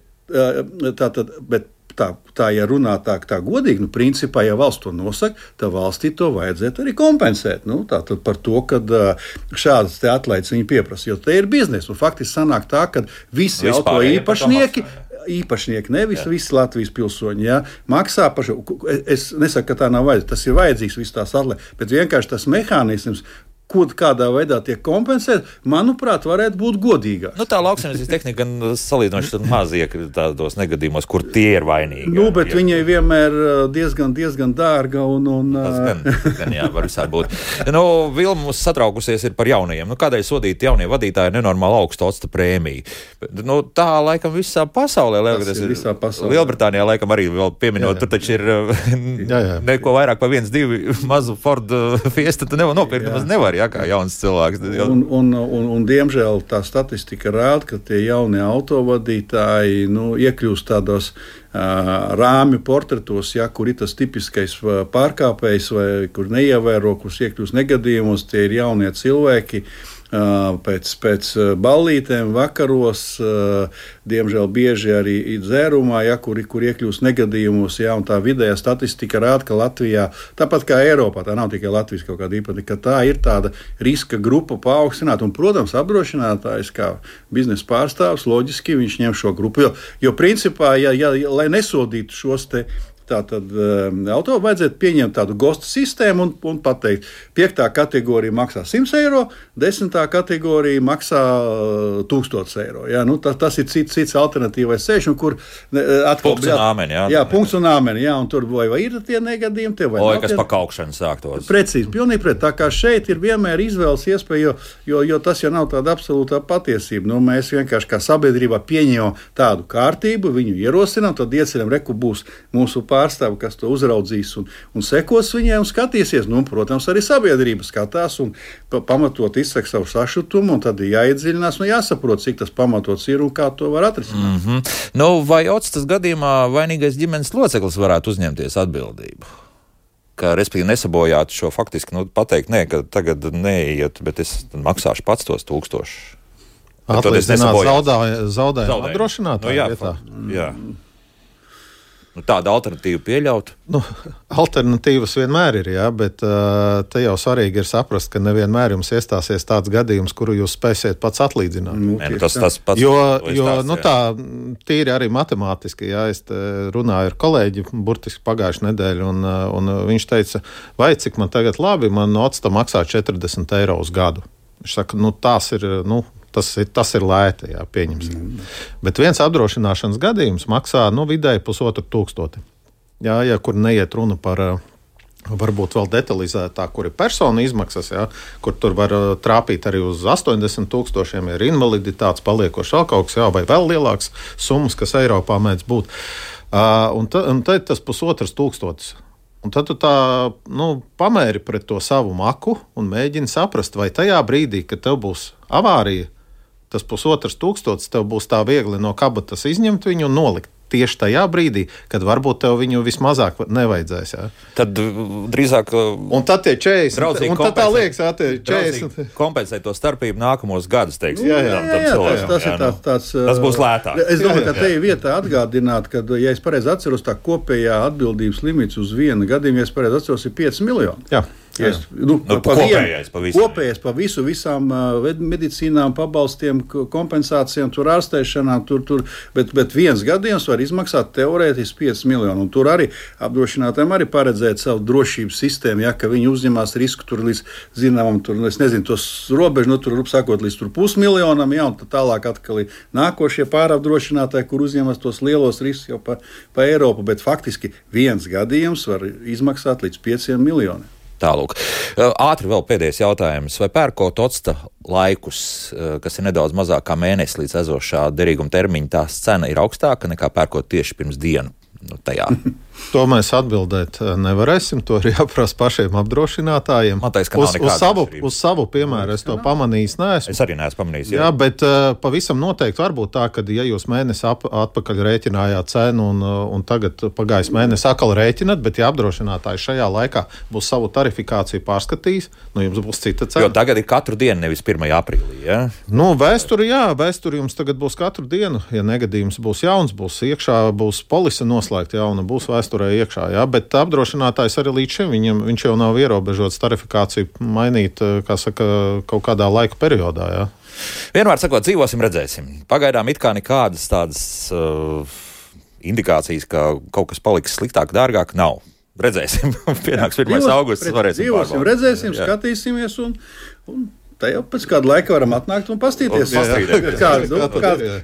ja runā tā godīgi, principā, ja valsts to nosaka, tad valstī to vajadzētu arī kompensēt. Tātad par to, ka šādas te atlaides viņi pieprasa, jo te ir biznesa. Un faktiski sanāk tā, ka visi auto īpašnieki, nevis visi Latvijas pilsoņi, jā, maksā par šo. Es nesaku, ka tā nav vajadzīga. Tas ir vajadzīgs viss tās atlaides, bet vienkārši tas mehānisms, kādā veidā tiek kompensēt, manuprāt, varētu būt godīgāk. Tā lauksaimniecības tehnika gan salīdzinoši maz iekrīt tādos negadījumos, kur tie ir vainīgi. Bet viņai vienmēr diezgan dārga un gan jā, var visādi būt. Vilma mums satraukusies ir par jaunajiem. Kādēļ sodīt jaunie vadītāji nenormāli augstu OSTA prēmiju? Tā laikam visā pasaulē. Visā pasaulē. Lielbritānijā laikam arī vēl pieminot, tur taču ir neko vairāk par 1-2 mazu Ford Fiesta, tu nopirkt, nemaz nevar. kā jauns cilvēks. Un diemžēl tā statistika rāda, ka tie jaunie autovadītāji iekļūst tādos rāmju portretos, kur ir tas tipiskais pārkāpējs vai kur neievēro, kurus iekļūst negadījumos, tie ir jaunie cilvēki. Pēc ballītēm, vakaros, diemžēl bieži arī dzērumā, kur iekļūst negadījumos, un tā vidējā statistika rāda, ka Latvijā, tāpat kā Eiropā, tā nav tikai Latvijas kaut kāda īpatnība, ka tā ir tāda riska grupa paaugstināta, un, protams, apdrošinātājs kā biznesa pārstāvs, loģiski viņš ņem šo grupu, jo principā, lai nesodītu šos te tātad auto vajadzētu pieņemt tādu gostu sistēmu un pateikt, 5. kategorija maksā 100 eiro, 10. kategorija maksā 1000 eiro. Ja? Tas ir cits alternatīvais ceļš, kur atkal punkts un āmeni. Jā, punkts un āmeni, un tur vai ir tie negadījumi, kas pa kaukšanu sāktos. Precīzi, pilnīgi pret. Tā kā šeit ir vienmēr izvēles iespēja, jo tas jau nav tāda absolūtā patiesība. Mēs vienkārši kā sabiedrībā pieņemam tādu kārtību, viņu ierosinām, tad ieceļam, reku būs mūsu pārstāvi, kas to uzraudzīs un sekos viņai un skatīsies. Protams, arī sabiedrība skatās un pamatot izsaka savu sašutumu, un tad jāiedziļinās un jāsaprot, cik tas pamatots ir un kā to var atrisināt. Vai Otstas gadījumā vainīgais ģimenes loceklis varētu uzņemties atbildību? Ka, respektīvi, nesabojāt šo faktiski, pateikt, ka tagad neiet, bet es maksāšu pats tos 1000. Atlīdzināt zaudējumu apdrošinātāju vietā. Jā. Tāda alternatīva pieļaut? Alternatīvas vienmēr ir, bet te jau svarīgi ir saprast, ka nevienmēr jums iestāsies tāds gadījums, kuru jūs spēsiet pats atlīdzināt. Tas pats. Tā tīri arī matemātiski, es runāju ar kolēģi burtiski pagājušu nedēļu, un viņš teica, vai cik man tagad labi, man Otsta maksā 40 eiro uz gadu. Viņš saka, tas ir lēti, pieņemsim. Bet viens apdrošināšanas gadījums maksā vidēji 1500. Kur neiet runa par varbūt vēl detalizētāk, kur ir persona izmaksas, kur tur var trāpīt arī uz 80 000, ir invaliditātes paliekoši vēl kaut kas, vai vēl lielāks summas, kas Eiropā mēdz būt. Un tad tas 1500. Un tad tu pamēri pret to savu maku un mēģini saprast, vai tajā brīdī, kad tev būs avārija, tas 1500 tev būs tā viegli no kabatas izņemt viņu un nolikt tieši tajā brīdī, kad varbūt tev viņu vismazāk nevajadzēs. Tad drīzāk. Un tad tie 40. Un tad tā liekas, tie 40. Kompensēt to starpību nākamos gadus, teiksim. Tas būs lētāk. Es domāju, ka te ir vietā atgādināt, ka, ja es pareizi atceros, tā kopējā atbildības limits uz vienu gadījumu, ja es pareizi atceros, ir 5 miljoni. Jā. Kopējais pa visām medicīnām, pabalstiem, kompensācijām, tur ārstēšanām, bet viens gadījums var izmaksāt teorētiski 5 miljonu. Un tur arī apdrošinātājiem arī paredzēt savu drošības sistēmu, ka viņi uzņemās risku tur līdz zināmam, tos robežu, tur sākot līdz 500 000, un tad tālāk atkal ir nākošie pārapdrošinātāji, kur uzņemas tos lielos riskus jau pa Eiropu, bet faktiski viens gadījums var izmaksāt līdz 5 miljoniem. Tālūk. Ātri vēl pēdējais jautājums. Vai pērkot Otsta laikus, kas ir nedaudz mazāk kā mēnesis līdz ezošā derīguma termiņa, tās cena ir augstāka nekā pērkot tieši pirms dienu? Tajā. To mēs atbildēt nevarēsim. To ir jāprasa pašiem apdrošinātājiem. Man teiks, ka nav nekādas atšķirības. Uz savu piemēru es to pamanījis neesmu. Es arī neesmu pamanījis. Jā, bet pavisam noteikti var būt tā, ka ja jūs mēnesi atpakaļ rēķinājāt cenu un tagad pagājis mēnesi atkal rēķinat, bet ja apdrošinātājs šajā laikā būs savu tarifikāciju pārskatījis, jums būs cita cena. Jo tagad ir katru dienu, nevis 1. aprīlī, ja? Vēsturi jums tagad būs katru dienu. Ja negadījums būs jauns, būs iekšā, būs polise noslēgta jauna, būs vēsturē iekšā, bet apdrošinātājs arī līdz šim viņš jau nav ierobežots tarifikāciju mainīt, kā saka, kaut kādā laika periodā. Vienmēr sakot, dzīvosim, redzēsim. Pagaidām it kā nekādas tādas indikācijas, ka kaut kas paliks sliktāk, dārgāk, nav. Redzēsim. Pienāks 1. augusts, varēsim pārbaudīt. Dzīvosim, redzēsim, skatīsimies un tā jau pēc kāda laika varam atnākt un pastīties,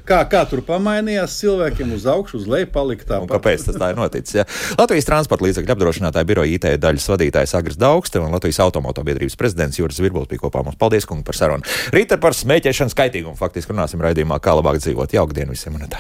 kā tur pamainījās cilvēkiem uz augšu, uz leju palika tāpat. Un kāpēc tas tā ir noticis? Ja? Latvijas transporta līdzekļu apdrošinātāja biroja IT daļas vadītājs Agris Daugste un Latvijas automotobiedrības prezidents Juris Virbuls bija kopā mums. Paldies, kungi, par sarunu. Rīt par smēķēšanu skaitīgumu faktiski runāsim raidījumā, kā labāk dzīvot. Jauka diena visiem un tā.